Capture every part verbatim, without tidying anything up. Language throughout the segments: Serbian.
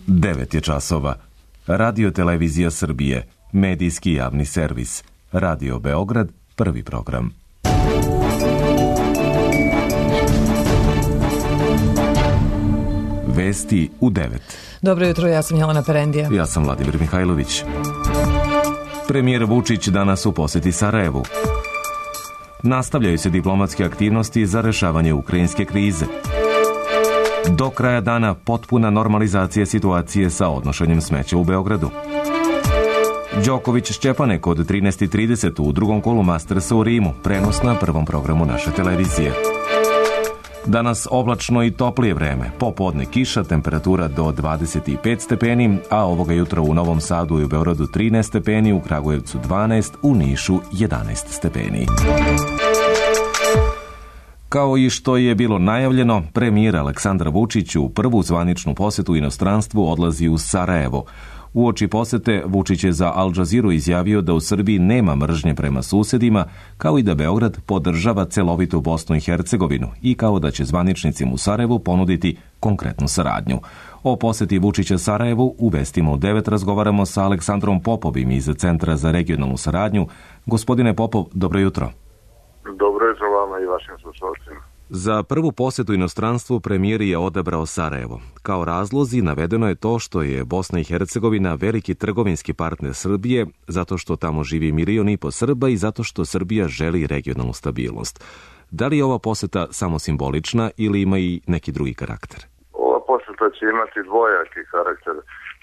devet je časova. Radio Televizija Srbije, medijski javni servis. Radio Beograd, prvi program. Vesti u devet. Dobro jutro, ja sam Jelena Perendija. Ja sam Vladimir Mihajlović. Premijer Vučić danas u poseti Sarajevu. Nastavljaju se diplomatske aktivnosti za rešavanje ukrajinske krize. Do kraja dana potpuna normalizacija situacije sa odnošenjem smeća u Beogradu. Đoković Šćepanek od trinaest i trideset u drugom kolu Mastersa u Rimu, prenos na prvom programu naše televizije. Danas oblačno i toplije vreme, popodne kiša, temperatura do dvadeset pet stepeni, a ovoga jutra u Novom Sadu i u Beogradu trinaest stepeni, u Kragujevcu dvanaest, u Nišu jedanaest stepeni. Kao i što je bilo najavljeno, premijer Aleksandar Vučić u prvu zvaničnu posetu inostranstvu odlazi u Sarajevo. Uoči posete, Vučić je za Al Jazeeru izjavio da u Srbiji nema mržnje prema susedima, kao i da Beograd podržava celovitu Bosnu i Hercegovinu i kao da će zvaničnicima u Sarajevu ponuditi konkretnu saradnju. O poseti Vučića Sarajevu u Vestima u devet razgovaramo sa Aleksandrom Popovim iz Centra za regionalnu saradnju. Gospodine Popov, dobro jutro. Dobro jutro vama i vašim slušalcima. Za prvu posjetu inostranstvu premijer je odabrao Sarajevo. Kao razlozi navedeno je to što je Bosna i Hercegovina veliki trgovinski partner Srbije, zato što tamo živi milion i po Srba i zato što Srbija želi regionalnu stabilnost. Da li je ova posjeta samo simbolična ili ima i neki drugi karakter? Ova posjeta će imati dvojaki karakter.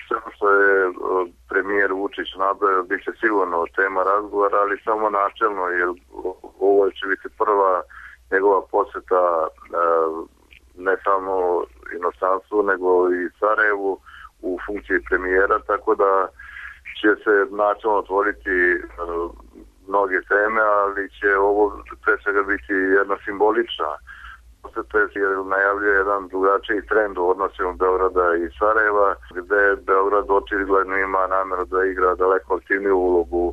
Sve što je premijer Vučić nabrojao bit će sigurno tema razgovora, ali samo načelno, jer ovo će biti prva njegova posjeta ne samo inostranstvu, nego i Sarajevu u funkciji premijera, tako da će se načelno otvoriti mnoge teme, ali će ovo pre svega biti jedna simbolična posjeta, jer najavljuje jedan drugačiji trend u odnosima Beograda i Sarajeva, gde Beograd očigledno ima nameru da igra daleko aktivniju ulogu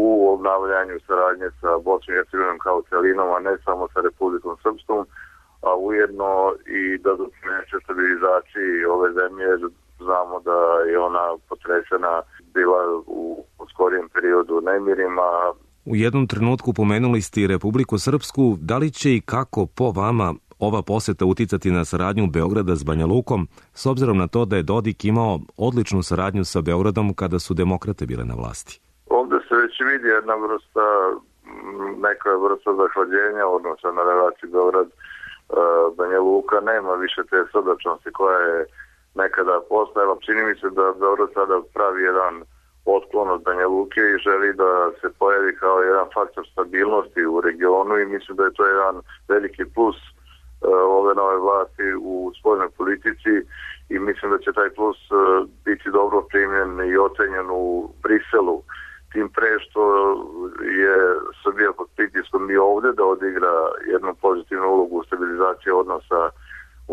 u obnavljanju saradnje sa Bosnom i Hercegovinom kao celinom, a ne samo sa Republikom Srpskom, a ujedno i da doprineće stabilizaciji ove zemlje. Znamo da je ona potresena bila u skorijem periodu nemirima. U jednom trenutku pomenuli ste i Republiku Srpsku. Da li će i kako po vama ova poseta uticati na saradnju Beograda s Banja Lukom, s obzirom na to da je Dodik imao odličnu saradnju sa Beogradom kada su demokrate bile na vlasti? Ovdje se već vidi jedna vrsta, neka vrsta zahlađenja odnosa na relaciji Beograd-Banja Luka. Nema više te srdačnosti koja je nekada postojala. Čini mi se da Beograd sada pravi jedan otklon od Banja Luke i želi da se pojavi kao jedan faktor stabilnosti u regionu i mislim da je to jedan veliki plus ove nove vlasti u spoljnoj politici i mislim da će taj plus biti dobro primljen i ocenjen u Briselu. Tim pre što je Srbija pod pritiskom i ovdje da odigra jednu pozitivnu ulogu u stabilizaciji odnosa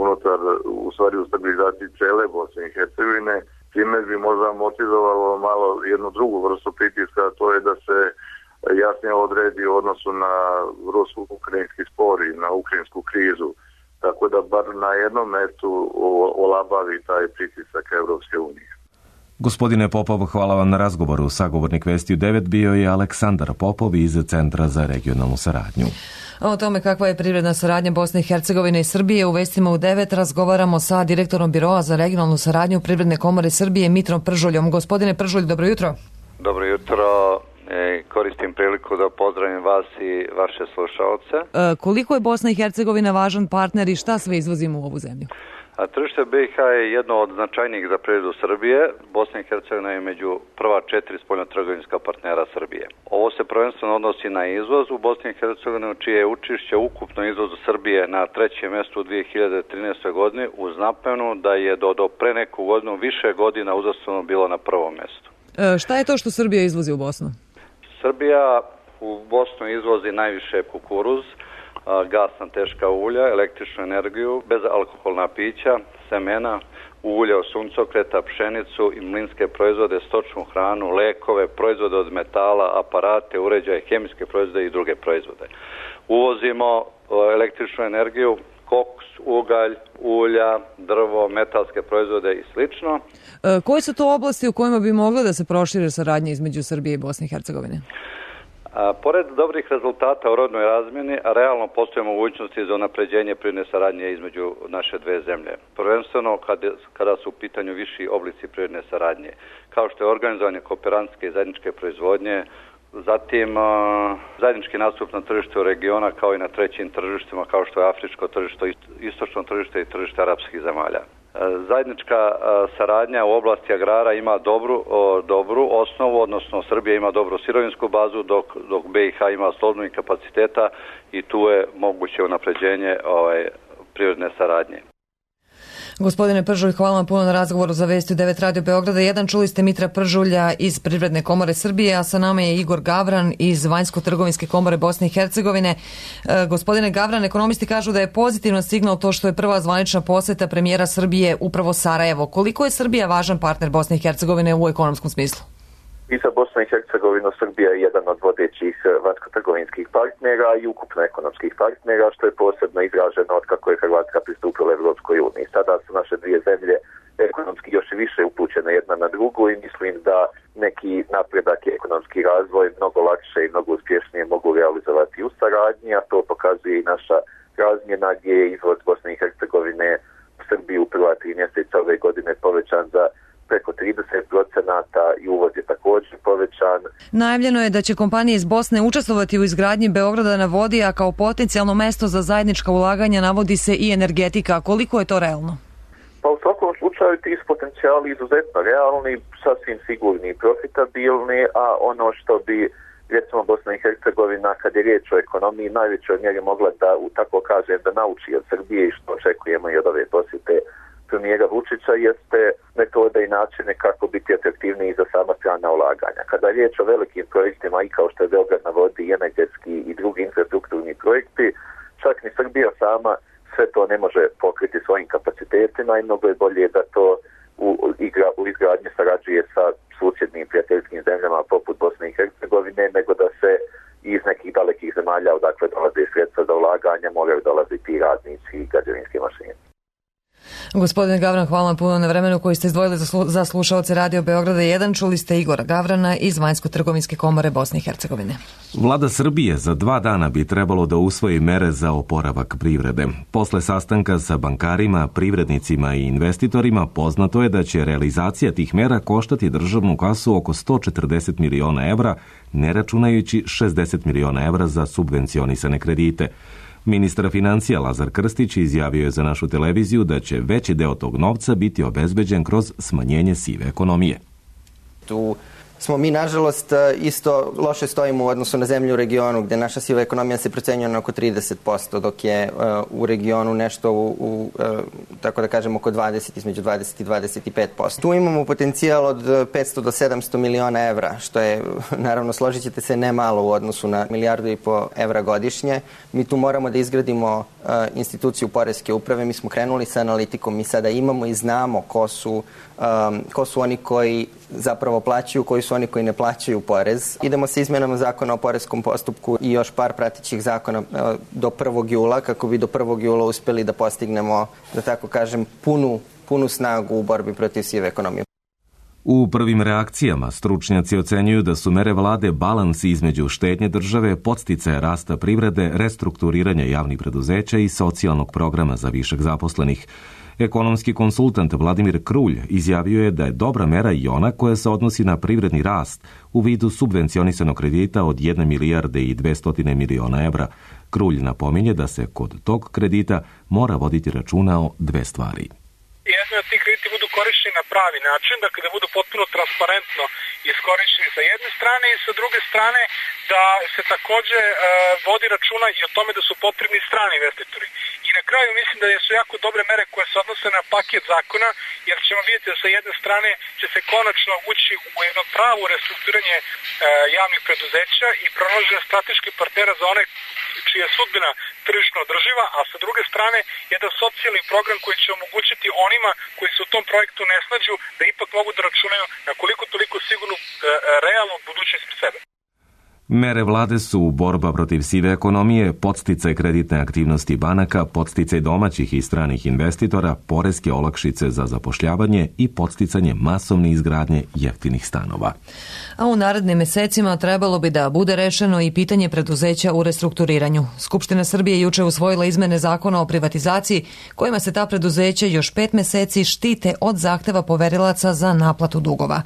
unutar, u stvari u stabilizaciji cele Bosne i Hercegovine. Time bi možda motivovalo malo jednu drugu vrstu pritiska, a to je da se jasnije odredi u odnosu na rusko-ukrajinski spor i na ukrajinsku krizu. Tako da bar na jednom mestu olabavi taj pritisak Evropske unije. Gospodine Popov, hvala vam na razgovoru. Sagovornik Vesti u devet bio je Aleksandar Popov iz Centra za regionalnu saradnju. O tome kakva je privredna saradnja Bosne i Hercegovine i Srbije u Vestima u devet razgovaramo sa direktorom Biroa za regionalnu saradnju Privredne komore Srbije Mitrom Pržuljom. Gospodine Pržulj, dobro jutro. Dobro jutro. E, koristim priliku da pozdravim vas i vaše slušalce. E, koliko je Bosna i Hercegovina važan partner i šta sve izvozimo u ovu zemlju? A tržište B iH je jedno od značajnijih za privredu Srbije. Bosna i Hercegovina je među prva četiri spoljnotrgovinska partnera Srbije. Ovo se prvenstveno odnosi na izvoz u Bosni i Hercegovini, čije je učešće ukupno izvozu Srbije na trećem mjestu u dvije hiljade trinaestoj. godini, uz napomenu da je do, do pre neku godinu više godina uzastopno bilo na prvom mjestu. E, šta je to što Srbija izvozi u Bosnu? Srbija u Bosnu izvozi najviše kukuruz, gasna teška ulja, električnu energiju, bezalkoholna pića, semena, ulje od suncokreta, pšenicu i mlinske proizvode, stočnu hranu, lekove, proizvode od metala, aparate, uređaje, hemijske proizvode i druge proizvode. Uvozimo električnu energiju koks, ugalj, ulja, drvo, metalske proizvode i slično. E, koje su to oblasti u kojima bi mogla da se prošire saradnja između Srbije i Bosne i Hercegovine? A, pored dobrih rezultata u rodnoj razmjeni, realno postoje mogućnosti za unapređenje privredne saradnje između naše dve zemlje. Prvenstveno kada, kada su u pitanju viši oblici privredne saradnje, kao što je organizovanje kooperantske i zajedničke proizvodnje, zatim a, zajednički nastup na tržištu regiona kao i na trećim tržištima kao što je afričko tržište, istočno tržište i tržište arapskih zemalja. Zajednička saradnja u oblasti agrara ima dobru, dobru osnovu, odnosno Srbija ima dobru sirovinsku bazu, dok, dok B i H ima slobodnih kapaciteta i tu je moguće unapređenje ovaj, privredne saradnje. Gospodine Pržulj, hvala vam puno na razgovoru za Vesti u devet Radio Beograda jedan. Čuli ste Mitra Pržulja iz Privredne komore Srbije, a sa nama je Igor Gavran iz Vanjsko-trgovinske komore Bosne i Hercegovine. E, gospodine Gavran, ekonomisti kažu da je pozitivan signal to što je prva zvanična poseta premijera Srbije upravo Sarajevo. Koliko je Srbija važan partner Bosne i Hercegovine u ekonomskom smislu? I za Bosnu i Hercegovinu Srbija je jedan od vodećih vanjsko-trgovinskih partnera i ukupno ekonomskih partnera, što je posebno izraženo od kako je Hrvatska pristupila Evropskoj uniji. Sada su naše dvije zemlje ekonomski još i više upućene jedna na drugu i mislim da neki napredak i ekonomski razvoj mnogo lakše i mnogo uspješnije mogu realizovati u saradnji, a to pokazuje i naša razmjena gdje je izvoz Bosne i Hercegovine u Srbiju u prva tri mjeseca ove godine povećan za preko trideset procenata i uvoz je također povećan. Najavljeno je da će kompanije iz Bosne učestvovati u izgradnji Beograda na vodi, a kao potencijalno mesto za zajednička ulaganja navodi se i energetika. Koliko je to realno? Pa u svakom slučaju ti su potencijali izuzetno realni, sasvim sigurni i profitabilni, a ono što bi recimo Bosna i Hercegovina kad je riječ o ekonomiji najvećoj mjeri mogla da, u tako kažem, da nauči od Srbije i što očekujemo i od ove posjete premijera Vučića jeste metode i načine kako biti atraktivniji za sama strana ulaganja. Kada je riječ o velikim projektima i kao što je Beograd na vodi i energetski i drugi infrastrukturni projekti, čak ni Srbija sama sve to ne može pokriti svojim kapacitetima i mnogo je bolje da to u, igra, u izgradnji sarađuje sa susjednim prijateljskim zemljama poput Bosne i Hercegovine, nego da se iz nekih dalekih zemalja odakle dolaze sredstva za ulaganja moraju dolaziti i radnici i građevinske mašine. Gospodine Gavran, hvala vam puno na vremenu koji ste izdvojili za, slu, za slušaoce Radio Beograda jedan. Čuli ste Igora Gavrana iz Vanjsko-trgovinske komore Bosne i Hercegovine. Vlada Srbije za dva dana bi trebalo da usvoji mere za oporavak privrede. Posle sastanka sa bankarima, privrednicima i investitorima poznato je da će realizacija tih mera koštati državnu kasu oko sto četrdeset miliona evra, ne računajući šezdeset miliona evra za subvencionisane kredite. Ministar financija Lazar Krstić izjavio je za našu televiziju da će veći deo tog novca biti obezbeđen kroz smanjenje sive ekonomije. Tu smo mi, nažalost, isto loše stojimo u odnosu na zemlju u regionu, gdje naša siva ekonomija se procenjuje na oko trideset posto, dok je uh, u regionu nešto u, u uh, tako da kažem, oko dvadeset, između dvadeset i dvadeset pet posto. Tu imamo potencijal od petsto do sedamsto miliona evra, što je, naravno, složit ćete se, ne malo u odnosu na milijardu i po evra godišnje. Mi tu moramo da izgradimo uh, instituciju poreske uprave. Mi smo krenuli sa analitikom, mi sada imamo i znamo ko su, um, ko su oni koji zapravo plaćaju, koji su oni koji ne plaćaju porez. Idemo sa izmjenama zakona o poreskom postupku i još par pratećih zakona do prvog jula, kako bi do prvog jula uspjeli da postignemo, da tako kažem, punu, punu snagu u borbi protiv sive ekonomije. U prvim reakcijama stručnjaci ocenjuju da su mere vlade balans između štednje države, podsticaja rasta privrede, restrukturiranja javnih preduzeća i socijalnog programa za višak zaposlenih. Ekonomski konsultant Vladimir Krulj izjavio je da je dobra mera i ona koja se odnosi na privredni rast u vidu subvencionisanog kredita od jedne milijarde i dvesta miliona evra. Krulj napominje da se kod tog kredita mora voditi računa o dve stvari. Jedno je da ti krediti budu korišćeni na pravi način, dakle da budu potpuno transparentno iskorišćeni sa jedne strane i sa druge strane da se također e, vodi računa i o tome da su potrebni strani investitori. I na kraju mislim da su jako dobre mere koje se odnose na paket zakona, jer ćemo vidjeti da sa jedne strane će se konačno ući u jedno pravo restrukturiranje e, javnih preduzeća i pronalaženje strateških partnera za one čija je sudbina tržišno održiva, a sa druge strane jedan socijalni program koji će omogućiti onima koji se u tom projektu ne snađu da ipak mogu da računaju na koliko toliko sigurnu e, realnu budućnost pri sebe. Mere vlade su borba protiv sive ekonomije, podsticaj kreditne aktivnosti banaka, podsticaj domaćih i stranih investitora, poreske olakšice za zapošljavanje i podsticanje masovne izgradnje jeftinih stanova. A u narednim mesecima trebalo bi da bude rešeno i pitanje preduzeća u restrukturiranju. Skupština Srbije juče usvojila izmene zakona o privatizaciji, kojima se ta preduzeća još pet meseci štite od zahteva poverilaca za naplatu dugova.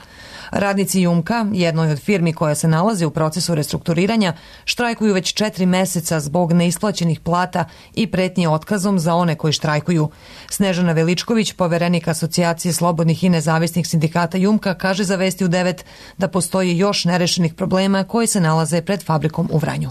Radnici Jumka, jednoj od firmi koja se nalazi u procesu restrukturiranja, štrajkuju već četiri meseca zbog neisplaćenih plata i pretnje otkazom za one koji štrajkuju. Snežana Veličković, poverenik Asocijacije slobodnih i nezavisnih sindikata Jumka, kaže za Vesti u devet da postoji još nerešenih problema koji se nalaze pred fabrikom u Vranju.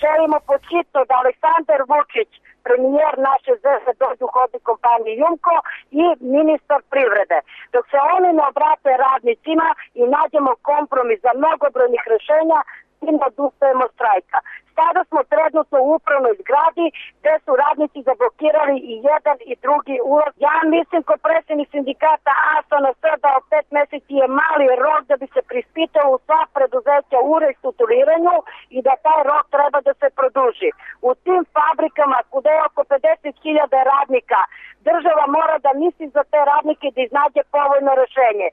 Želimo počitno da Aleksandar Vučić, premijer naše zemlje, dođu u hodnik kompanije Jumko i ministar privrede. Dok se oni ne obrate radnicima i nađemo kompromis za mnogobrojnih rešenja, i ne odustajemo štrajka. Sada smo trenutno u upravnoj zgradi gde su radnici zablokirali i jedan i drugi ulaz. Ja mislim ko predsjednik sindikata A S A N S da od pet meseci je mali rok da bi se prispitao u sva preduzeća u restrukturiranju i da taj rok treba da se produži. U tim fabrikama kude je oko pedeset hiljada radnika, država mora da misli za te radnike da iznađe povoljno rešenje.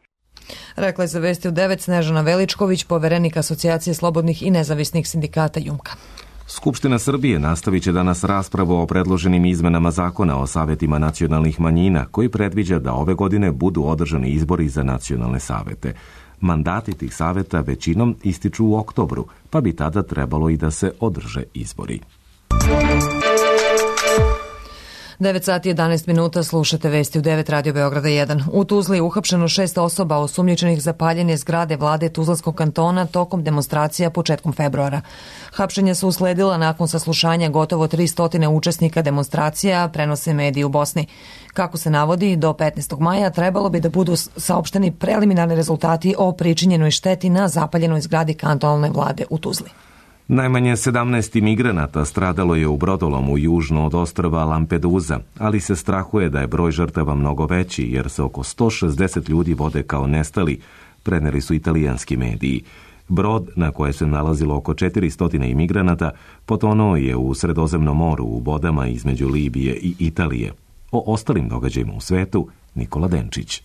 Rekla je za Vesti u devet Snežana Veličković, poverenik Asocijacije slobodnih i nezavisnih sindikata Jumka. Skupština Srbije nastavit će danas raspravu o predloženim izmenama zakona o savetima nacionalnih manjina, koji predviđa da ove godine budu održani izbori za nacionalne savete. Mandati tih saveta većinom ističu u oktobru, pa bi tada trebalo i da se održe izbori. devet sati jedanaest minuta, slušate Vesti u devet Radio Beograda jedan. U Tuzli je uhapšeno šest osoba osumnjičenih za paljenje zgrade vlade Tuzlanskog kantona tokom demonstracija početkom februara. Hapšenja su usledila nakon saslušanja gotovo tristo učesnika demonstracija, prenose mediji u Bosni. Kako se navodi, do petnaestog maja trebalo bi da budu saopšteni preliminarni rezultati o pričinjenoj šteti na zapaljenoj zgradi kantonalne vlade u Tuzli. Najmanje sedamnaest imigranata stradalo je u brodolomu južno od ostrva Lampedusa, ali se strahuje da je broj žrtava mnogo veći jer se oko sto šezdeset ljudi vode kao nestali, preneli su italijanski mediji. Brod, na koje se nalazilo oko četiristo imigranata, potonuo je u Sredozemnom moru u vodama između Libije i Italije. O ostalim događajima u svetu, Nikola Denčić.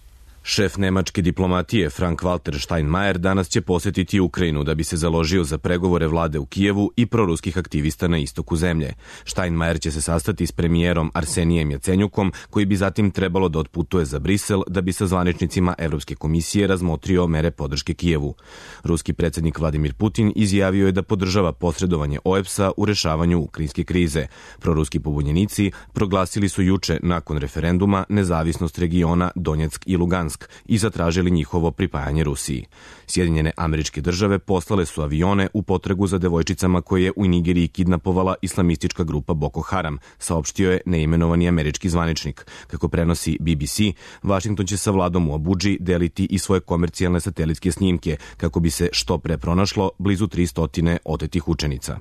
Šef nemačke diplomatije Frank-Walter Steinmeier danas će posetiti Ukrajinu da bi se založio za pregovore vlade u Kijevu i proruskih aktivista na istoku zemlje. Steinmeier će se sastati s premijerom Arsenijem Jacenjukom, koji bi zatim trebalo da otputuje za Brisel da bi sa zvaničnicima Evropske komisije razmotrio mere podrške Kijevu. Ruski predsjednik Vladimir Putin izjavio je da podržava posredovanje O E B S A u rešavanju ukrajinske krize. Proruski pobunjenici proglasili su juče nakon referenduma nezavisnost regiona Donjeck i Lugansk i zatražili njihovo pripajanje Rusiji. Sjedinjene Američke Države poslale su avione u potragu za devojčicama koje je u Nigeriji kidnapovala islamistička grupa Boko Haram, saopštio je neimenovani američki zvaničnik. Kako prenosi B B C, Vašington će sa vladom u Abudži deliti i svoje komercijalne satelitske snimke kako bi se što pre pronašlo blizu tristo otetih učenica.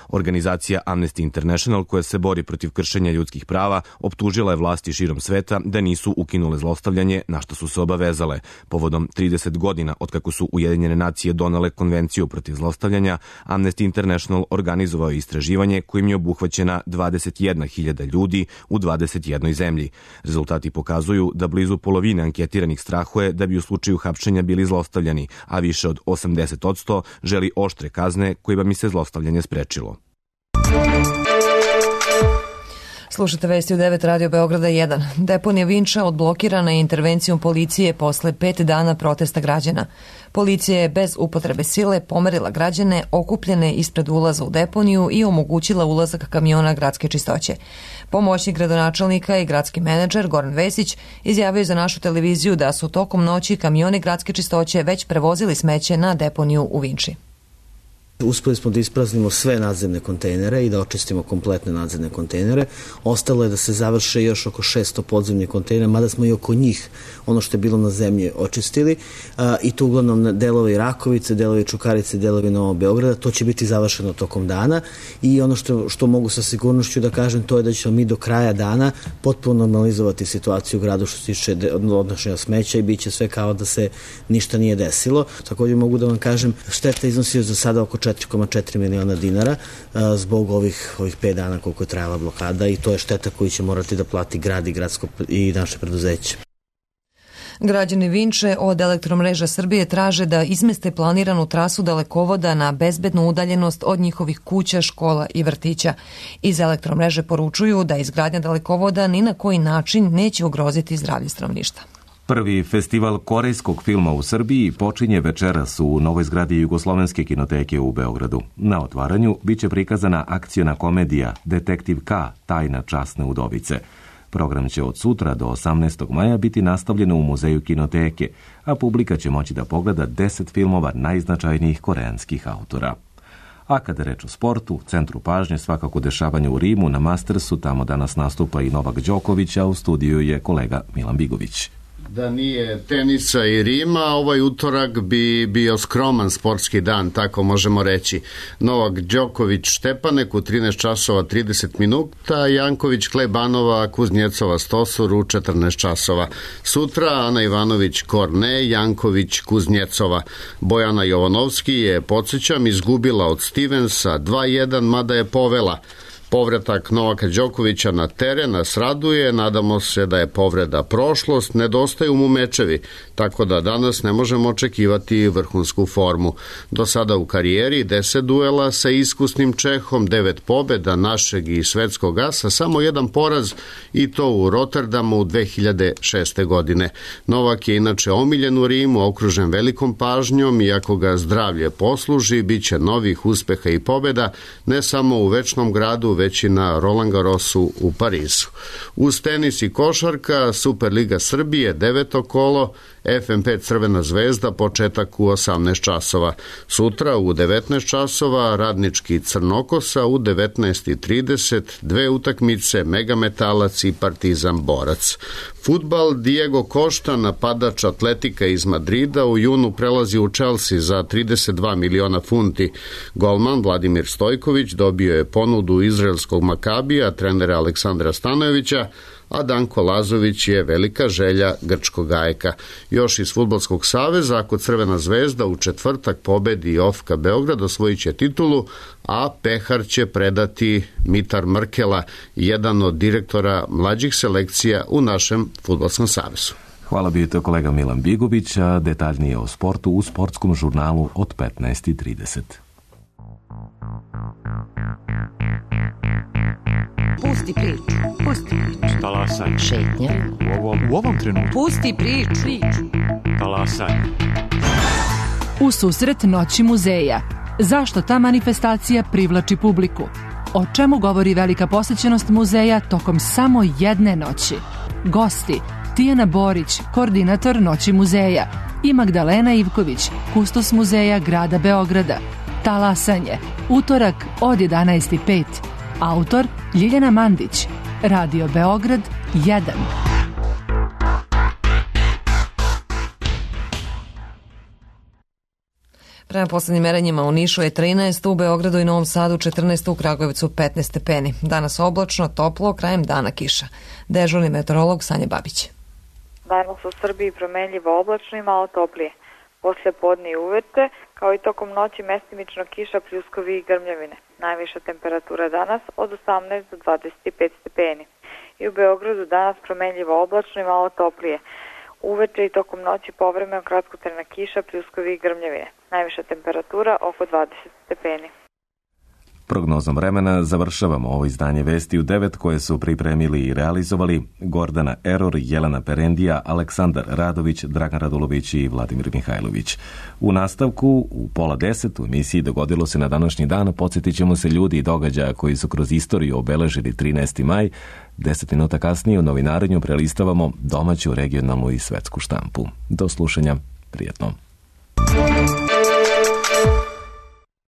Organizacija Amnesty International, koja se bori protiv kršenja ljudskih prava, optužila je vlasti širom sveta da nisu ukinule zlostavljanje, na što su se obavezale. Povodom trideset godina od kako su Ujedinjene nacije donale konvenciju protiv zlostavljanja, Amnesty International organizovao je istraživanje kojim je obuhvaćena dvadeset jedna hiljada ljudi u dvadeset jednoj zemlji. Rezultati pokazuju da blizu polovine anketiranih strahuje da bi u slučaju hapšenja bili zlostavljani, a više od osamdeset posto želi oštre kazne kojima bi se zlostavljanje sprečilo. Slušate Vesti u devet Radio Beograda jedan. Deponija Vinča odblokirana je intervencijom policije posle pet dana protesta građana. Policija je bez upotrebe sile pomerila građane okupljene ispred ulaza u deponiju i omogućila ulazak kamiona gradske čistoće. Pomoćnik gradonačelnika i gradski menadžer Goran Vesić izjavio za našu televiziju da su tokom noći kamioni gradske čistoće već prevozili smeće na deponiju u Vinči. Uspeli smo da ispraznimo sve nadzemne kontejnere i da očistimo kompletne nadzemne kontejnere. Ostalo je da se završe još oko šesto podzemnih kontejnera, mada smo i oko njih ono što je bilo na zemlji očistili. I to uglavnom delovi Rakovice, delovi Čukarice, delovi Novog Beograda. To će biti završeno tokom dana i ono što, što mogu sa sigurnošću da kažem, to je da ćemo mi do kraja dana potpuno normalizovati situaciju u gradu što se tiče odnošenja smeća i bit će sve kao da se ništa nije desilo. Također mogu da vam kažem, šteta iznosi za sada oko četiri zarez četiri miliona dinara zbog ovih, ovih pet dana koliko je trajala blokada i to je šteta koju će morati da plati grad i, gradsko, i naše preduzeće. Građani Vinče od Elektromreža Srbije traže da izmeste planiranu trasu dalekovoda na bezbednu udaljenost od njihovih kuća, škola i vrtića. Iz Elektromreže poručuju da izgradnja dalekovoda ni na koji način neće ugroziti zdravlje stanovništva. Prvi festival korejskog filma u Srbiji počinje večeras u novoj zgradi Jugoslovenske kinoteke u Beogradu. Na otvaranju biće prikazana akciona komedija Detektiv K. Tajna časne udovice. Program će od sutra do osamnaestog maja biti nastavljen u muzeju kinoteke, a publika će moći da pogleda deset filmova najznačajnijih koreanskih autora. A kada reč o sportu, u centru pažnje svakako dešavanje u Rimu na Mastersu, tamo danas nastupa i Novak Đoković, a u studiju je kolega Milan Bigović. Da nije tenisa i Rima, ovaj utorak bi bio skroman sportski dan, tako možemo reći. Novak Đoković Štepanek u trinaest časova trideset minuta, Janković Klebanova Kuznjecova Stosur u četrnaest časova. Sutra Ana Ivanović Korne, Janković Kuznjecova. Bojana Jovanovski je, podsjećam, izgubila od Stevensa dva jedan, mada je povela. Povratak Novaka Đokovića na teren nas raduje, nadamo se da je povreda prošlost, nedostaju mu mečevi, tako da danas ne možemo očekivati vrhunsku formu. Do sada u karijeri deset duela sa iskusnim Čehom, devet pobeda našeg i svetskog asa, samo jedan poraz i to u Rotterdamu dve hiljade šeste. godine. Novak je inače omiljen u Rimu, okružen velikom pažnjom i ako ga zdravlje posluži, bit će novih uspeha i pobeda, ne samo u večnom gradu, već i na Roland Garrosu u Parizu. Uz tenis i košarka, Superliga Srbije, deveto kolo, F M P Crvena zvezda, početak u osamnaest časova. Sutra u devetnaest časova Radnički Crnokosa, u devetnaest i trideset dve utakmice Megametalac i Partizan Borac. Fudbal, Diego Costa, napadač Atletika iz Madrida, u junu prelazi u Chelsea za trideset dva miliona funti. Golman Vladimir Stojković dobio je ponudu izraelskog Makabija, trenera Aleksandra Stanojevića, a Danko Lazović je velika želja grčkog Ajka. Još iz Fudbalskog saveza, ako Crvena zvezda u četvrtak pobedi Ofka Beograd, osvojit će titulu, a pehar će predati Mitar Mrkela, jedan od direktora mlađih selekcija u našem Fudbalskom savezu. Hvala bi to kolega Milan Bigović, a detaljnije o sportu u sportskom žurnalu od petnaest i trideset. Pusti priču, pusti priču. Talasaj. Šetnja. U ovom, u ovom trenutku. Pusti priču. priču. Talasaj. U susret Noći muzeja. Zašto ta manifestacija privlači publiku? O čemu govori velika posjećenost muzeja tokom samo jedne noći? Gosti: Tijana Borić, koordinator Noći muzeja, i Magdalena Ivković, kustos muzeja grada Beograda. Talasanje. Utorak od jedanaest i pet. Autor Ljiljana Mandić. Radio Beograd jedan. Prema poslednjim merenjima u Nišu je trinaest, u Beogradu i Novom Sadu četrnaest, u Kragujevcu petnaest stepeni. Danas oblačno, toplo, krajem dana kiša. Dežurni meteorolog Sanja Babić. Danas u Srbiji promenljivo oblačno i malo toplije. Posle podne i uveče, kao i tokom noći mestimično kiša, pljuskovi i grmljavine. Najviša temperatura danas od osamnaest do dvadeset pet stepeni. I u Beogradu danas promenljivo oblačno i malo toplije. Uveče i tokom noći povremeno kratkotrajna kiša, pljuskovi i grmljavine. Najviša temperatura oko dvadeset stepeni. Prognozom vremena završavamo ovo izdanje Vesti u devet koje su pripremili i realizovali Gordana Eror, Jelena Perendija, Aleksandar Radović, Dragan Radulović i Vladimir Mihajlović. U nastavku, u pola deset, u emisiji Dogodilo se na današnji dan, podsjetit ćemo se ljudi i događaja koji su kroz istoriju obeležili trinaesti maj. Deset minuta kasnije u novinarenju prelistavamo domaću, regionalnu i svetsku štampu. Do slušanja, prijetno.